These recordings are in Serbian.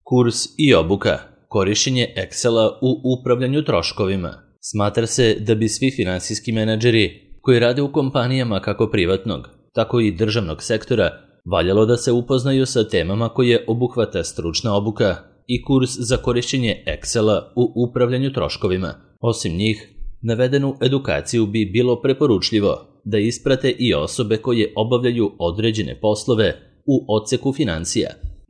Kurs i obuka, korišćenje Excela u upravljanju troškovima. Smatra se da bi svi finansijski menadžeri koji rade u kompanijama kako privatnog, tako i državnog sektora valjalo da se upoznaju sa temama koje obuhvata stručna obuka i kurs za korišćenje Excela u upravljanju troškovima. Osim njih, navedenu edukaciju bi bilo preporučljivo da isprate i osobe koje obavljaju određene poslove u odseku financija,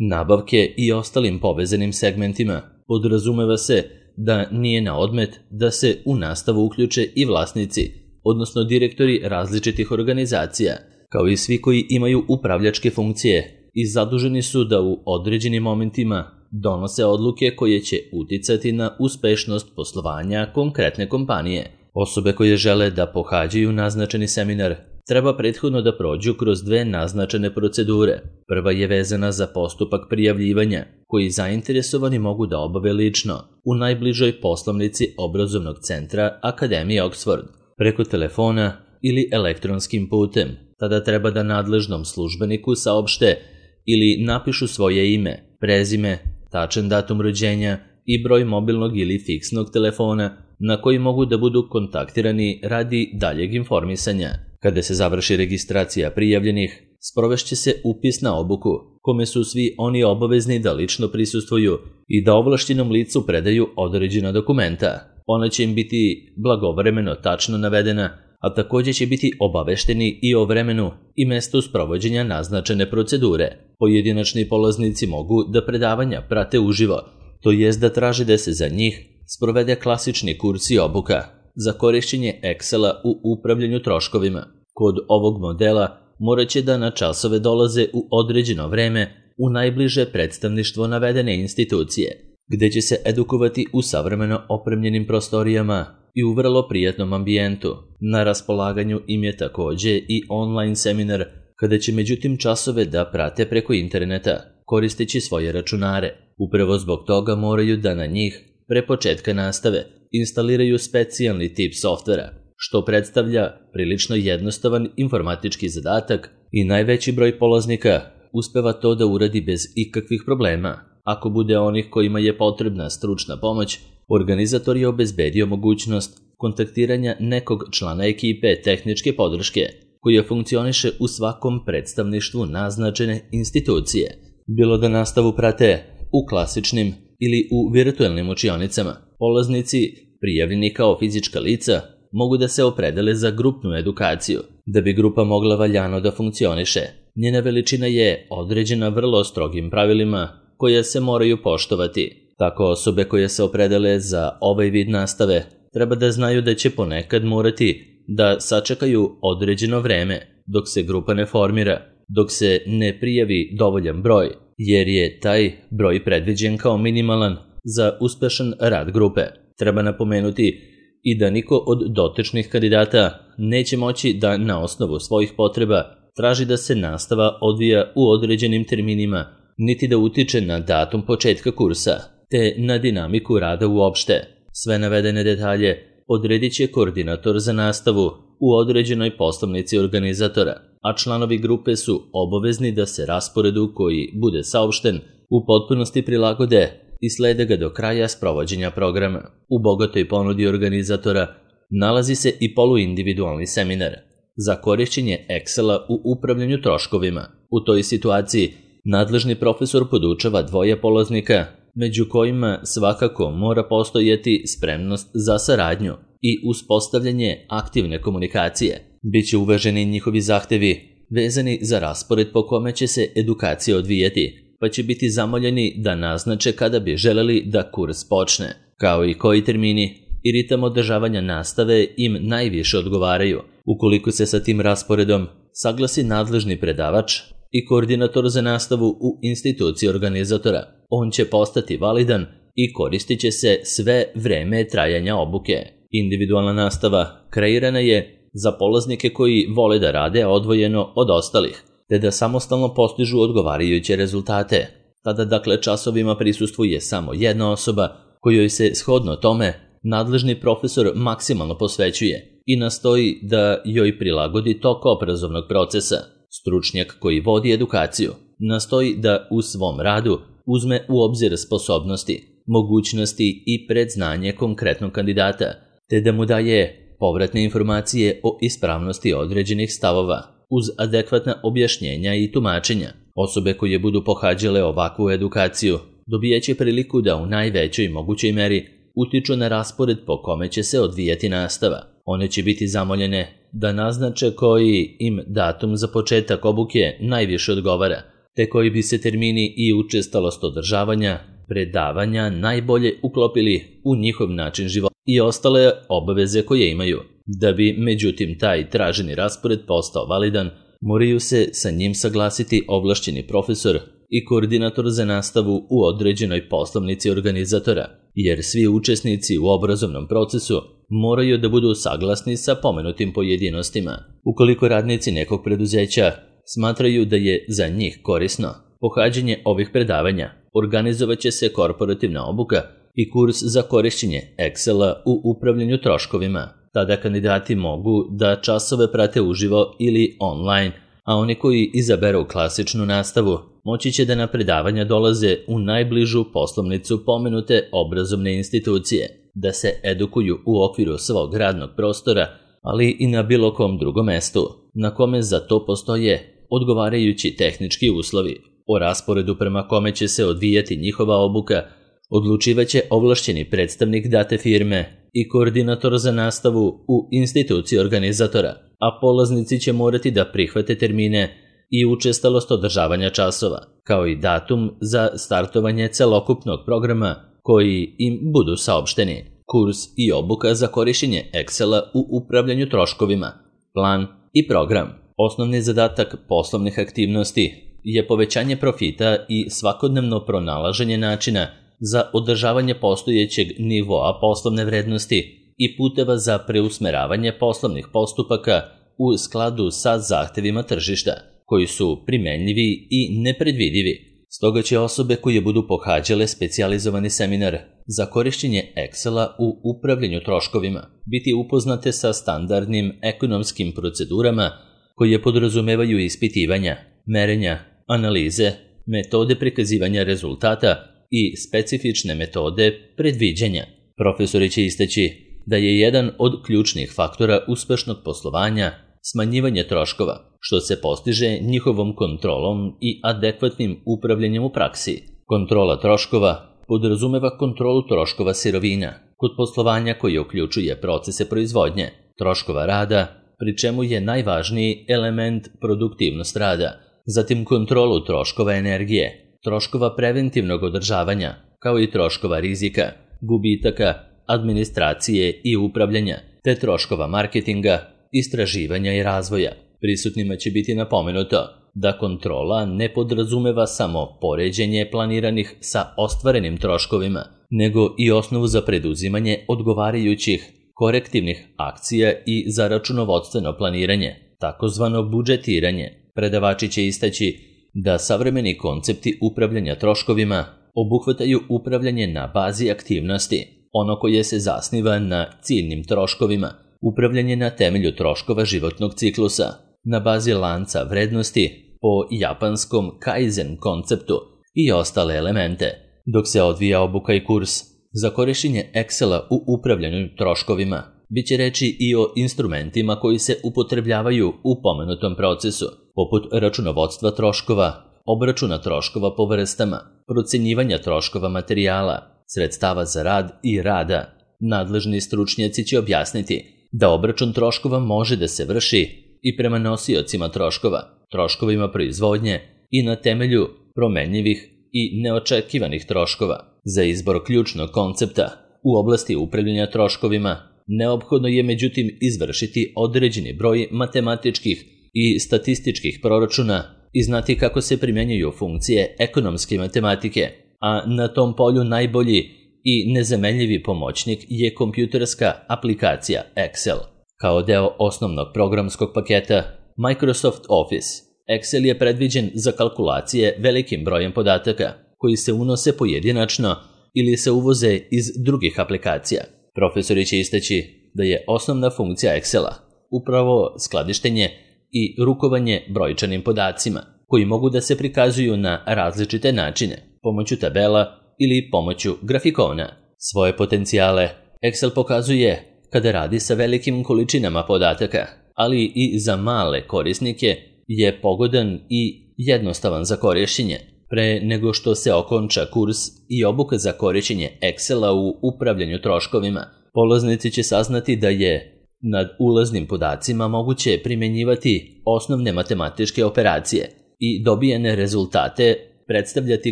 nabavke i ostalim povezanim segmentima. Podrazumeva se da nije na odmet da se u nastavu uključe i vlasnici, odnosno direktori različitih organizacija, kao i svi koji imaju upravljačke funkcije i zaduženi su da u određenim momentima donose odluke koje će uticati na uspešnost poslovanja konkretne kompanije. Osobe koje žele da pohađaju naznačeni seminar treba prethodno da prođu kroz dve naznačene procedure. Prva je vezana za postupak prijavljivanja, koji zainteresovani mogu da obave lično u najbližoj poslovnici obrazovnog centra Akademije Oxford, preko telefona ili elektronskim putem. Tada treba da nadležnom službeniku saopšte ili napišu svoje ime, prezime, tačan datum rođenja i broj mobilnog ili fiksnog telefona na koji mogu da budu kontaktirani radi daljeg informisanja. Kada se završi registracija prijavljenih, sprovešće se upis na obuku, kome su svi oni obavezni da lično prisustvuju i da ovlašćenom licu predaju određena dokumenta. Ona će im biti blagovremeno tačno navedena, a također će biti obavešteni i o vremenu i mestu sprovođenja naznačene procedure. Pojedinačni polaznici mogu da predavanja prate uživo, to jest da traže da se za njih sprovede klasični kurs i obuka za korišćenje Excela u upravljanju troškovima. Kod ovog modela morat će da na časove dolaze u određeno vreme u najbliže predstavništvo navedene institucije, gde će se edukovati u savremeno opremljenim prostorijama i u vrlo prijatnom ambijentu. Na raspolaganju im je također i online seminar, kada će međutim časove da prate preko interneta, koristeći svoje računare. Upravo zbog toga moraju da na njih, pre početka nastave, instaliraju specijalni tip softvera, što predstavlja prilično jednostavan informatički zadatak i najveći broj polaznika uspeva to da uradi bez ikakvih problema. Ako bude onih kojima je potrebna stručna pomoć, organizator je obezbedio mogućnost kontaktiranja nekog člana ekipe tehničke podrške, koja funkcioniše u svakom predstavništvu naznačene institucije. Bilo da nastavu prate u klasičnim ili u virtualnim učionicama, polaznici, prijavljeni kao fizička lica, mogu da se opredele za grupnu edukaciju. Da bi grupa mogla valjano da funkcioniše, njena veličina je određena vrlo strogim pravilima koja se moraju poštovati. Tako osobe koje se opredele za ovaj vid nastave treba da znaju da će ponekad morati da sačekaju određeno vreme dok se grupa ne formira, dok se ne prijavi dovoljan broj, jer je taj broj predviđen kao minimalan za uspešan rad grupe. Treba napomenuti i da niko od dotičnih kandidata neće moći da na osnovu svojih potreba traži da se nastava odvija u određenim terminima, niti da utiče na datum početka kursa, te na dinamiku rada uopšte. Sve navedene detalje odredit će koordinator za nastavu u određenoj poslovnici organizatora, a članovi grupe su obavezni da se rasporedu koji bude saopšten u potpunosti prilagode i slede ga do kraja sprovođenja programa. U bogatoj ponudi organizatora nalazi se i poluindividualni seminar za korišćenje Excela u upravljanju troškovima. U toj situaciji nadležni profesor podučava dvoje polaznika, među kojima svakako mora postojati spremnost za saradnju i uspostavljanje aktivne komunikacije. Biće uvaženi njihovi zahtevi vezani za raspored po kome će se edukacija odvijati, pa će biti zamoljeni da naznače kada bi želeli da kurs počne, kao i koji termini i ritam održavanja nastave im najviše odgovaraju. Ukoliko se sa tim rasporedom saglasi nadležni predavač i koordinator za nastavu u instituciji organizatora, on će postati validan i koristit će se sve vreme trajanja obuke. Individualna nastava kreirana je za polaznike koji vole da rade odvojeno od ostalih, te da samostalno postižu odgovarajuće rezultate. Tada dakle časovima prisustvuje samo jedna osoba kojoj se shodno tome nadležni profesor maksimalno posvećuje i nastoji da joj prilagodi tok obrazovnog procesa. Stručnjak koji vodi edukaciju nastoji da u svom radu uzme u obzir sposobnosti, mogućnosti i predznanje konkretnog kandidata, te da mu daje povratne informacije o ispravnosti određenih stavova, uz adekvatna objašnjenja i tumačenja. Osobe koje budu pohađale ovakvu edukaciju dobijaće priliku da u najvećoj mogućoj meri utiču na raspored po kome će se odvijati nastava. One će biti zamoljene da naznače koji im datum za početak obuke najviše odgovara, te koji bi se termini i učestalost održavanja predavanja najbolje uklopili u njihov način života i ostale obaveze koje imaju. Da bi, međutim, taj traženi raspored postao validan, moraju se sa njim saglasiti ovlašćeni profesor i koordinator za nastavu u određenoj poslovnici organizatora, jer svi učesnici u obrazovnom procesu moraju da budu saglasni sa pomenutim pojedinostima. Ukoliko radnici nekog preduzeća smatraju da je za njih korisno pohađanje ovih predavanja, organizovat će se korporativna obuka i kurs za korišćenje Excela u upravljanju troškovima. Tada kandidati mogu da časove prate uživo ili online, a oni koji izaberu klasičnu nastavu moći će da na predavanja dolaze u najbližu poslovnicu pomenute obrazovne institucije, da se edukuju u okviru svog radnog prostora, ali i na bilo kom drugom mestu, na kome za to postoje odgovarajući tehnički uslovi. O rasporedu prema kome će se odvijati njihova obuka odlučivaće ovlašćeni predstavnik date firme i koordinator za nastavu u instituciji organizatora, a polaznici će morati da prihvate termine i učestalost održavanja časova, kao i datum za startovanje celokupnog programa koji im budu saopšteni. Kurs i obuka za korišćenje Excela u upravljanju troškovima, plan i program. Osnovni zadatak poslovnih aktivnosti je povećanje profita i svakodnevno pronalaženje načina za održavanje postojećeg nivoa poslovne vrednosti i puteva za preusmeravanje poslovnih postupaka u skladu sa zahtevima tržišta, koji su primenljivi i nepredvidivi. Stoga će osobe koje budu pohađale specijalizovani seminar za korišćenje Excela u upravljanju troškovima biti upoznate sa standardnim ekonomskim procedurama koje podrazumevaju ispitivanja, merenja, analize, metode prikazivanja rezultata i specifične metode predviđanja. Profesori će istaći da je jedan od ključnih faktora uspešnog poslovanja smanjivanje troškova, što se postiže njihovom kontrolom i adekvatnim upravljanjem u praksi. Kontrola troškova podrazumeva kontrolu troškova sirovina kod poslovanja koje uključuje procese proizvodnje, troškova rada, pri čemu je najvažniji element produktivnost rada, zatim kontrolu troškova energije, troškova preventivnog održavanja, kao i troškova rizika, gubitaka, administracije i upravljanja, te troškova marketinga, istraživanja i razvoja. Prisutnima će biti napomenuto da kontrola ne podrazumeva samo poređenje planiranih sa ostvarenim troškovima, nego i osnovu za preduzimanje odgovarajućih korektivnih akcija i za računovodstveno planiranje, takozvano budžetiranje. Predavači će istaći da savremeni koncepti upravljanja troškovima obuhvataju upravljanje na bazi aktivnosti, ono koje se zasniva na ciljnim troškovima, upravljanje na temelju troškova životnog ciklusa, na bazi lanca vrednosti po japanskom Kaizen konceptu i ostale elemente, dok se odvija obuka i kurs za korišćenje Excela u upravljanju troškovima. Biće reči i o instrumentima koji se upotrebljavaju u pomenutom procesu, poput računovodstva troškova, obračuna troškova po vrstama, procenjivanja troškova materijala, sredstava za rad i rada. Nadležni stručnjaci će objasniti da obračun troškova može da se vrši i prema nosiocima troškova, troškovima proizvodnje i na temelju promenljivih i neočekivanih troškova. Za izbor ključnog koncepta u oblasti upravljanja troškovima neophodno je međutim izvršiti određeni broj matematičkih i statističkih proračuna i znati kako se primjenjuju funkcije ekonomske matematike, a na tom polju najbolji i nezamenljivi pomoćnik je kompjuterska aplikacija Excel. Kao deo osnovnog programskog paketa Microsoft Office, Excel je predviđen za kalkulacije velikim brojem podataka koji se unose pojedinačno ili se uvoze iz drugih aplikacija. Profesori će istaći da je osnovna funkcija Excela upravo skladištenje i rukovanje brojčanim podacima, koji mogu da se prikazuju na različite načine. pomoću tabela ili pomoću grafikona. Svoje potencijale Excel pokazuje kada radi sa velikim količinama podataka, ali i za male korisnike je pogodan i jednostavan za korišćenje. Pre nego što se okonča kurs i obuka za korišćenje Excela u upravljanju troškovima, polaznici će saznati da je nad ulaznim podacima moguće primjenjivati osnovne matematičke operacije i dobijene rezultate predstavljati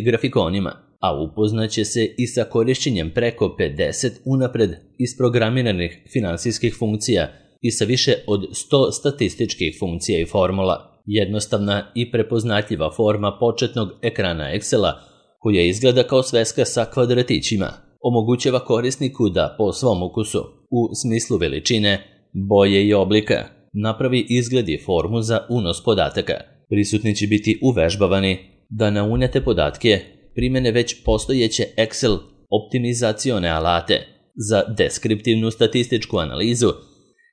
grafikonima, a upoznaće se i sa korišćenjem preko 50 unapred isprogramiranih finansijskih funkcija i sa više od 100 statističkih funkcija i formula. Jednostavna i prepoznatljiva forma početnog ekrana Excela, koja izgleda kao sveska sa kvadratićima, omogućava korisniku da po svom ukusu, u smislu veličine, boje i oblika, napravi izgled i formu za unos podataka. Prisutni će biti uvežbavani da na unete podatke primene već postojeće Excel optimizacione alate za deskriptivnu statističku analizu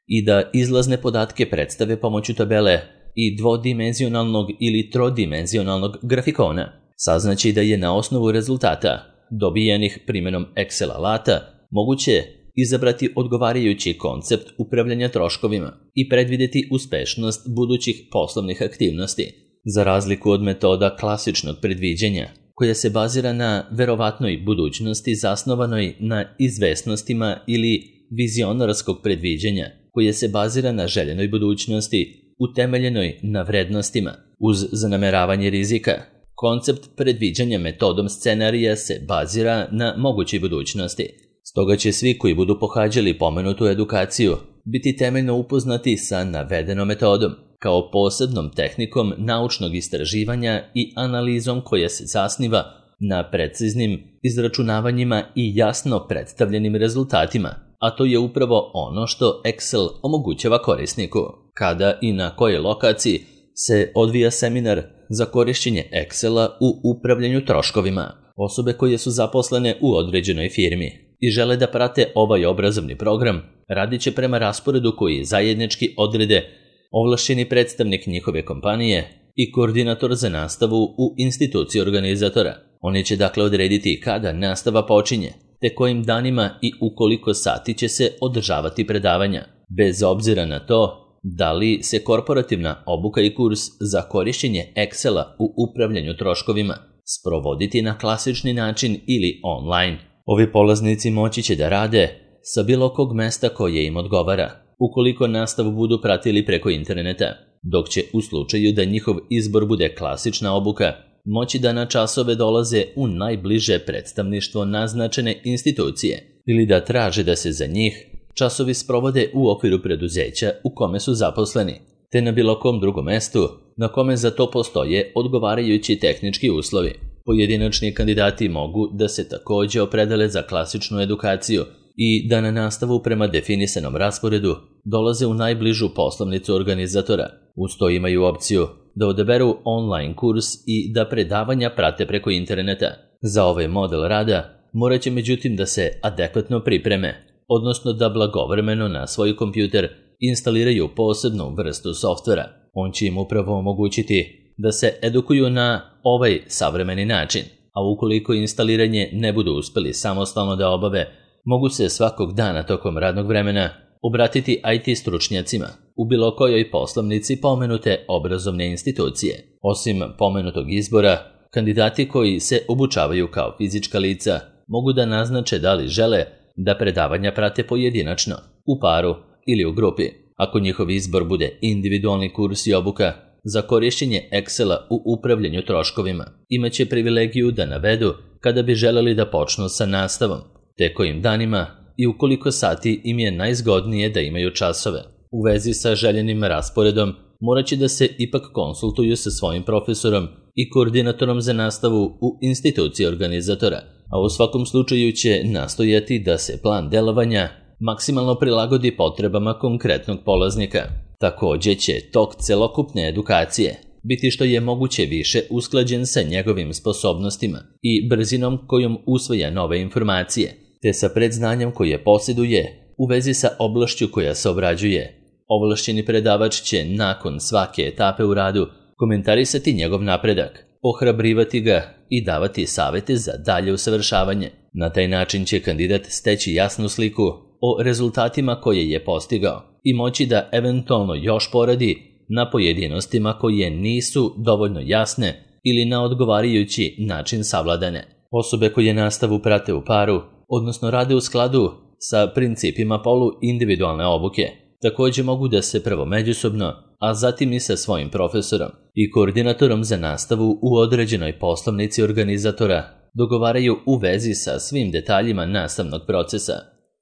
i da izlazne podatke predstave pomoću tabele i dvodimenzionalnog ili trodimenzionalnog grafikona. Saznaći da je na osnovu rezultata dobijenih primjenom Excel alata moguće izabrati odgovarajući koncept upravljanja troškovima i predvidjeti uspešnost budućih poslovnih aktivnosti. Za razliku od metoda klasičnog predviđanja, koja se bazira na verovatnoj budućnosti zasnovanoj na izvesnostima ili vizionarskog predviđanja, koje se bazira na željenoj budućnosti utemeljenoj na vrednostima uz zanameravanje rizika. Koncept predviđanja metodom scenarija se bazira na mogućoj budućnosti. Stoga će svi koji budu pohađali pomenutu edukaciju biti temeljno upoznati sa navedenom metodom, kao posebnom tehnikom naučnog istraživanja i analizom koja se zasniva na preciznim izračunavanjima i jasno predstavljenim rezultatima, a to je upravo ono što Excel omogućava korisniku. Kada i na kojoj lokaciji se odvija seminar za korišćenje Excela u upravljanju troškovima. Osobe koje su zaposlene u određenoj firmi i žele da prate ovaj obrazovni program radit će prema rasporedu koji zajednički odrede ovlašćeni predstavnik njihove kompanije i koordinator za nastavu u instituciji organizatora. Oni će dakle odrediti kada nastava počinje, te kojim danima i u koliko sati će se održavati predavanja, bez obzira na to da li se korporativna obuka i kurs za korišćenje Excela u upravljanju troškovima sprovoditi na klasični način ili online. Ovi polaznici moći će da rade sa bilo kog mesta koje im odgovara, ukoliko nastavu budu pratili preko interneta, dok će u slučaju da njihov izbor bude klasična obuka, moći da na časove dolaze u najbliže predstavništvo naznačene institucije ili da traže da se za njih časovi sprovode u okviru preduzeća u kome su zaposleni, te na bilo kom drugom mestu na kome za to postoje odgovarajući tehnički uslovi. Pojedinačni kandidati mogu da se također opredele za klasičnu edukaciju i da na nastavu prema definisanom rasporedu dolaze u najbližu poslovnicu organizatora. Uz to imaju opciju da odaberu online kurs i da predavanja prate preko interneta. Za ovaj model rada morat će međutim da se adekvatno pripreme, odnosno da blagovremeno na svoj kompjuter instaliraju posebnu vrstu softvera. On će im upravo omogućiti da se edukuju na ovaj savremeni način, a ukoliko instaliranje ne budu uspeli samostalno da obave, mogu se svakog dana tokom radnog vremena obratiti IT stručnjacima u bilo kojoj poslovnici pomenute obrazovne institucije. Osim pomenutog izbora, kandidati koji se obučavaju kao fizička lica mogu da naznače da li žele da predavanja prate pojedinačno, u paru ili u grupi. Ako njihov izbor bude individualni kurs i obuka za korišćenje Excela u upravljanju troškovima, imaće privilegiju da navedu kada bi želeli da počnu sa nastavom, te kojim danima i u koliko sati im je najzgodnije da imaju časove. U vezi sa željenim rasporedom morat će da se ipak konsultuju sa svojim profesorom i koordinatorom za nastavu u instituciji organizatora, a u svakom slučaju će nastojati da se plan delovanja maksimalno prilagodi potrebama konkretnog polaznika. Također će tok celokupne edukacije biti što je moguće više usklađen sa njegovim sposobnostima i brzinom kojom usvaja nove informacije, te sa predznanjem koje posjeduje u vezi sa oblašću koja se obrađuje. Ovlašćeni predavač će nakon svake etape u radu komentarisati njegov napredak, ohrabrivati ga i davati savete za dalje usavršavanje. Na taj način će kandidat steći jasnu sliku o rezultatima koje je postigao i moći da eventualno još poradi na pojedinostima koje nisu dovoljno jasne ili na odgovarajući način savladane. Osobe koje nastavu prate u paru, odnosno rade u skladu sa principima poluindividualne obuke, također mogu da se prvo međusobno, a zatim i sa svojim profesorom i koordinatorom za nastavu u određenoj poslovnici organizatora dogovaraju u vezi sa svim detaljima nastavnog procesa.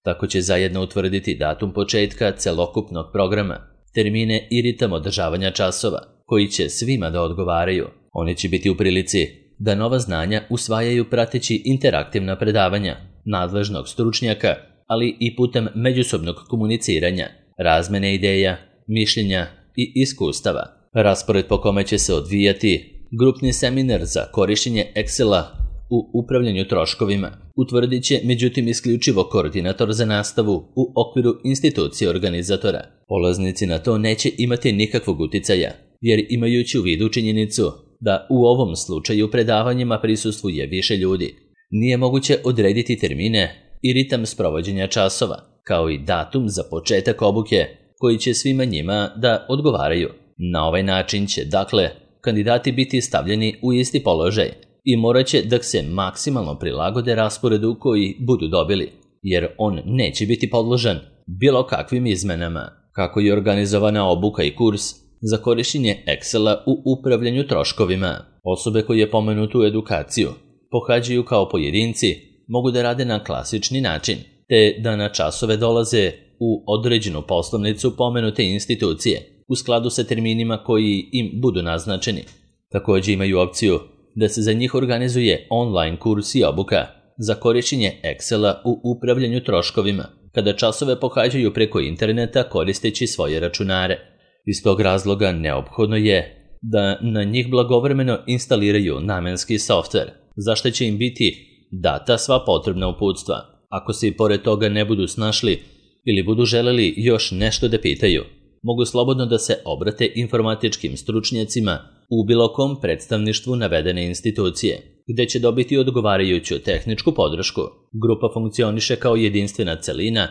Tako će zajedno utvrditi datum početka celokupnog programa, termine i ritam održavanja časova, koji će svima da odgovaraju. Oni će biti u prilici da nova znanja usvajaju prateći interaktivna predavanja nadležnog stručnjaka, ali i putem međusobnog komuniciranja, razmene ideja, mišljenja i iskustava. Raspored po kome će se odvijati grupni seminar za korištenje Excela u upravljanju troškovima utvrdit će međutim isključivo koordinator za nastavu u okviru institucije organizatora. Polaznici na to neće imati nikakvog uticaja, jer imajući u vidu činjenicu da u ovom slučaju predavanjima prisustvuje više ljudi, nije moguće odrediti termine i ritam sprovođenja časova, kao i datum za početak obuke koji će svima njima da odgovaraju. Na ovaj način će, dakle, kandidati biti stavljeni u isti položaj i morat će da se maksimalno prilagode rasporedu koji budu dobili, jer on neće biti podložan bilo kakvim izmenama. Kako je organizovana obuka i kurs za korištenje Excela u upravljanju troškovima. Osobe koje pomenutu edukaciju pohađaju kao pojedinci mogu da rade na klasični način, te da na časove dolaze u određenu poslovnicu pomenute institucije u skladu sa terminima koji im budu naznačeni. Također imaju opciju da se za njih organizuje online kurs i obuka za korištenje Excela u upravljanju troškovima, kada časove pohađaju preko interneta koristeći svoje računare. Iz tog razloga neophodno je da na njih blagovremeno instaliraju namenski softver, za što će im biti data sva potrebna uputstva. Ako se i pored toga ne budu snašli ili budu želeli još nešto da pitaju, mogu slobodno da se obrate informatičkim stručnjacima u bilo kom predstavništvu navedene institucije, gde će dobiti odgovarajuću tehničku podršku. Grupa funkcioniše kao jedinstvena celina,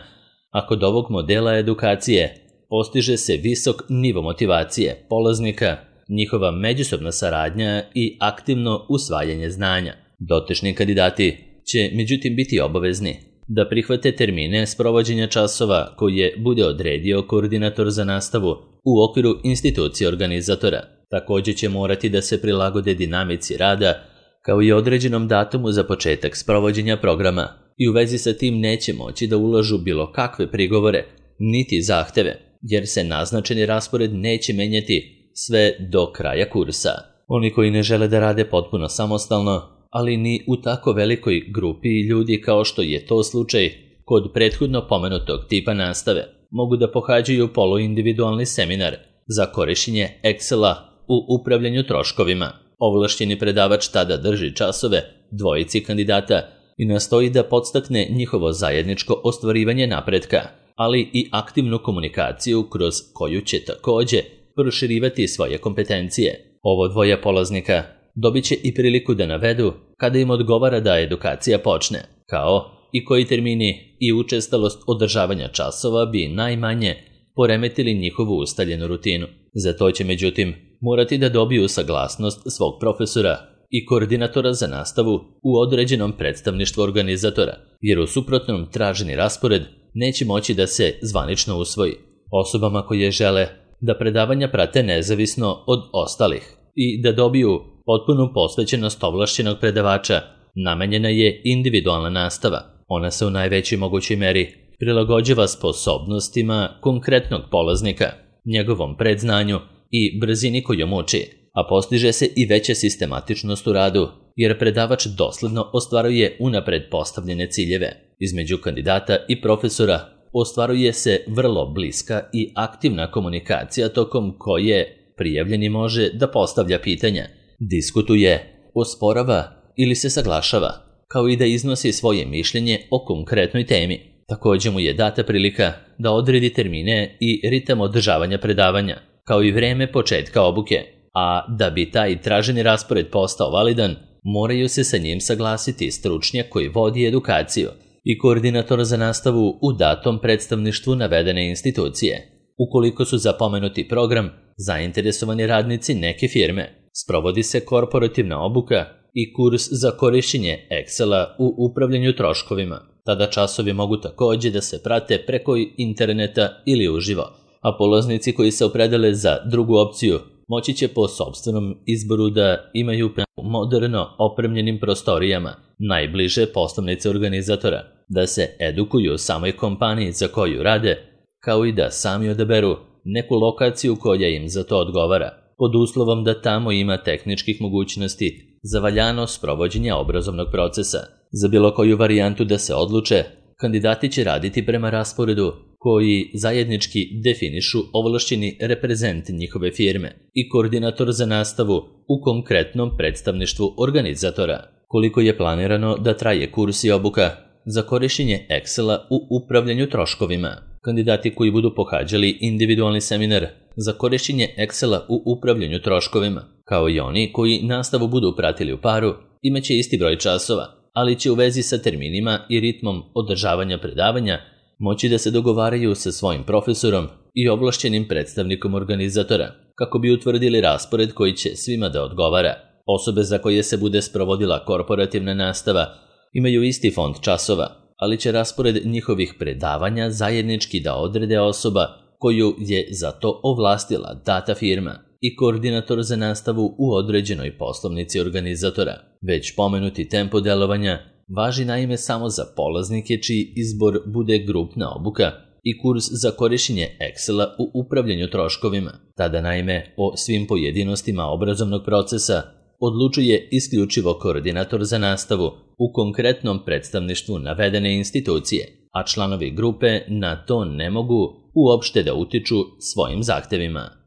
a kod ovog modela edukacije postiže se visok nivo motivacije polaznika, njihova međusobna saradnja i aktivno usvajanje znanja. Dotični kandidati će međutim biti obavezni da prihvate termine sprovođenja časova koje bude odredio koordinator za nastavu u okviru institucije organizatora. Također će morati da se prilagode dinamici rada kao i određenom datumu za početak sprovođenja programa i u vezi sa tim neće moći da ulažu bilo kakve prigovore niti zahteve, jer se naznačeni raspored neće menjati sve do kraja kursa. Oni koji ne žele da rade potpuno samostalno, ali ni u tako velikoj grupi ljudi kao što je to slučaj kod prethodno pomenutog tipa nastave, mogu da pohađaju poluindividualni seminar za korištenje Excela u upravljanju troškovima. Ovlašćeni predavač tada drži časove dvojici kandidata i nastoji da podstakne njihovo zajedničko ostvarivanje napretka, ali i aktivnu komunikaciju kroz koju će također proširivati svoje kompetencije. Ovo dvoje polaznika dobit će i priliku da navedu kada im odgovara da edukacija počne, kao i koji termini i učestalost održavanja časova bi najmanje poremetili njihovu ustaljenu rutinu. Za to će međutim morati da dobiju saglasnost svog profesora i koordinatora za nastavu u određenom predstavništvu organizatora, jer u suprotnom traženi raspored neće moći da se zvanično usvoji. Osobama koje žele da predavanja prate nezavisno od ostalih i da dobiju potpunu posvećenost ovlašćenog predavača, namenjena je individualna nastava. Ona se u najvećoj mogućoj meri prilagođava sposobnostima konkretnog polaznika, njegovom predznanju i brzini kojom uči, a postiže se i veća sistematičnost u radu, jer predavač dosledno ostvaruje unapred postavljene ciljeve. Između kandidata i profesora ostvaruje se vrlo bliska i aktivna komunikacija tokom koje prijavljeni može da postavlja pitanja, diskutuje, osporava ili se saglašava, kao i da iznosi svoje mišljenje o konkretnoj temi. Također mu je data prilika da odredi termine i ritam održavanja predavanja, kao i vreme početka obuke. a da bi taj traženi raspored postao validan, moraju se sa njim saglasiti stručnjak koji vodi edukaciju i koordinator za nastavu u datom predstavništvu navedene institucije. Ukoliko su za pomenuti program zainteresovani radnici neke firme, sprovodi se korporativna obuka i kurs za korišćenje Excela u upravljanju troškovima. Tada časovi mogu također da se prate preko interneta ili uživo, a polaznici koji se opredele za drugu opciju moći će po sopstvenom izboru da imaju moderno opremljenim prostorijama najbliže poslovnice organizatora, da se edukuju u samoj kompaniji za koju rade, kao i da sami odaberu neku lokaciju koja im za to odgovara, pod uslovom da tamo ima tehničkih mogućnosti za valjano sprovođenje obrazovnog procesa. Za bilo koju varijantu da se odluče, kandidati će raditi prema rasporedu koji zajednički definišu ovlašćeni reprezent njihove firme i koordinator za nastavu u konkretnom predstavništvu organizatora. Koliko je planirano da traje kurs i obuka za korišćenje Excela u upravljanju troškovima? Kandidati koji budu pohađali individualni seminar za korišćenje Excela u upravljanju troškovima, kao i oni koji nastavu budu pratili u paru, imaće isti broj časova, ali će u vezi sa terminima i ritmom održavanja predavanja moći da se dogovaraju sa svojim profesorom i ovlašćenim predstavnikom organizatora, kako bi utvrdili raspored koji će svima da odgovara. Osobe za koje se bude sprovodila korporativna nastava imaju isti fond časova, ali će raspored njihovih predavanja zajednički da odrede osoba koju je za to ovlastila data firma i koordinator za nastavu u određenoj poslovnici organizatora. Već pomenuti tempo delovanja važi naime samo za polaznike čiji izbor bude grupna obuka i kurs za korišćenje Excela u upravljanju troškovima. Tada naime o svim pojedinostima obrazovnog procesa odlučuje isključivo koordinator za nastavu u konkretnom predstavništvu navedene institucije, a članovi grupe na to ne mogu uopšte da utiču svojim zahtevima.